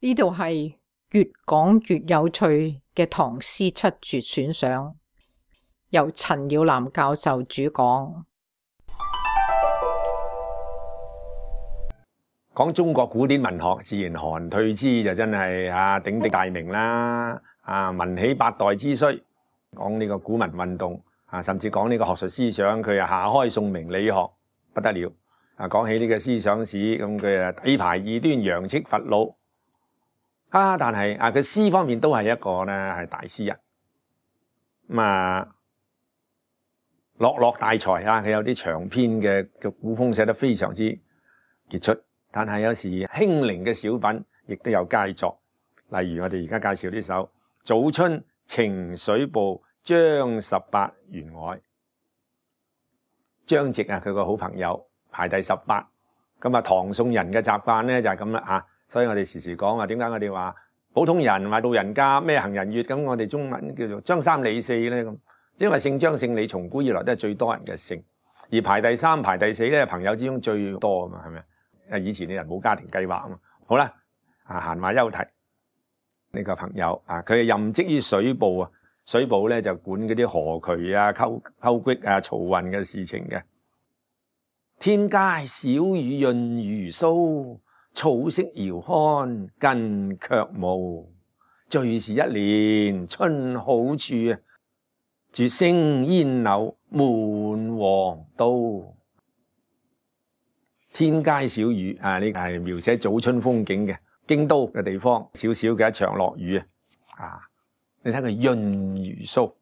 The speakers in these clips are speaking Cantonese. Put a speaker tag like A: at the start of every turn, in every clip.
A: 呢度係越講越有趣嘅唐詩七絕選賞，由陳耀南教授主講。
B: 講中國古典文學，自然韓退之就真係鼎鼎大名啦。文起八代之衰，講呢個古文運動甚至講呢個學術思想，佢下開宋明理學不得了。講起呢個思想史，咁佢底牌異端，揚斥伐虜。但係佢詩方面都係一個咧係大詩人。落落大才佢有啲長篇嘅古風寫得非常之傑出。但係有時輕靈嘅小品亦都有佳作，例如我哋而家介紹呢首《早春呈水部張十八員外》。張籍佢個好朋友排第18。咁唐宋人嘅習慣咧就係咁啦，所以我哋時時講話點解我哋話普通人話老人家咩行人月，咁我哋中文叫做張三李四咧咁，因為姓張姓李從古以來都係最多人嘅姓，而排第3排第4咧朋友之中最多啊嘛，係咪？以前啲人冇家庭計劃啊嘛。好啦，閒話休題。呢個朋友佢係任職於水部水部咧就管嗰啲河渠溝渠漕運嘅事情嘅。天街小雨潤如酥，草色遙看近卻無。最是一年春好處，絕勝煙柳滿皇都。天街小雨呢個係描寫早春風景嘅，京都嘅地方少少嘅一場落雨你睇佢潤如酥，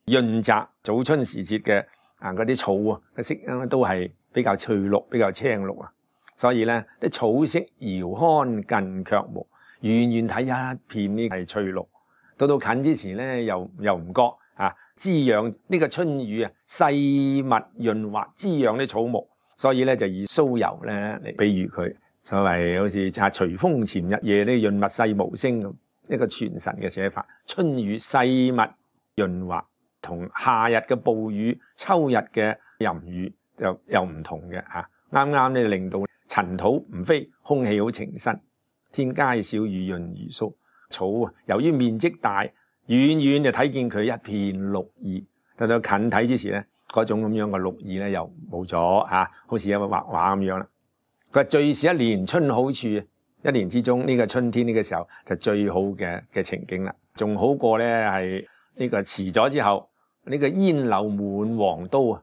B: 潤澤早春時節嘅嗰啲草嘅色都係比較翠綠，比較青綠所以咧啲草色遙看近卻無，遠遠睇一片呢係翠綠，到近之前咧又唔覺滋養呢個春雨細密潤滑，滋養啲草木。所以咧就以酥油咧嚟比喻佢，所謂好似隨風潛日夜呢潤物細無聲咁一個傳神嘅寫法。春雨細密潤滑，同夏日嘅暴雨、秋日嘅淫雨又唔同嘅啱啱咧令到塵土唔飛，空氣好清新。天街小雨潤如酥，草由於面積大，遠遠就睇見佢一片綠意，到近睇之時咧，嗰種咁樣嘅綠意咧又冇咗好似有個畫畫咁樣啦。佢話最是一年春好處，一年之中呢個春天呢個時候就最好嘅情景啦，仲好過咧係呢個遲咗之後呢個煙柳滿皇都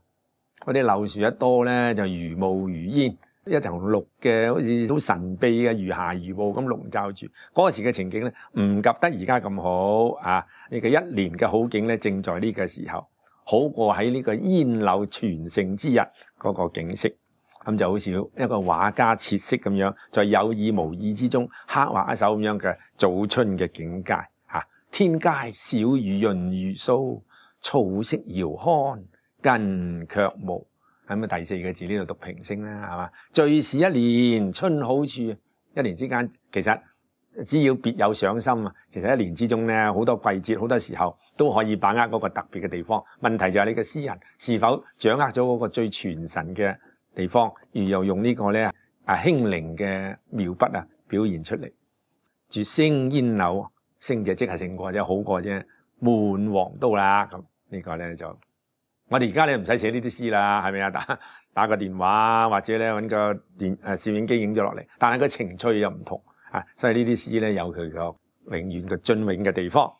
B: 嗰啲柳樹一多咧就如霧如煙，一層綠嘅好似好神秘嘅如霞如霧咁籠罩住。嗰時嘅情景咧唔及得而家咁好呢個一年嘅好景咧正在呢個時候。好過喺呢個煙柳全盛之日嗰個景色，咁就好似一個畫家設色咁樣，在有意無意之中刻畫一首咁樣嘅早春嘅境界天街小雨潤如酥，草色遙看近卻無。咁第4個字呢度讀平聲啦，係嘛？最是一年春好處，一年之間其實只要別有賞心其實一年之中咧好多季節，好多時候都可以把握嗰個特別嘅地方。問題就係你嘅詩人是否掌握咗嗰個最傳神嘅地方，而又用呢個咧輕靈嘅描筆表現出嚟。絕勝煙柳，勝就即係勝過啫，好過啫。滿皇都啦，咁呢個咧就我哋而家咧唔使寫呢啲詩啦，係咪打個電話或者咧揾個攝影機影咗落嚟，但係個情趣又唔同。所以呢啲詩咧有佢個永遠嘅雋永嘅地方。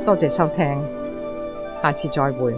A: 多謝收聽，下次再會。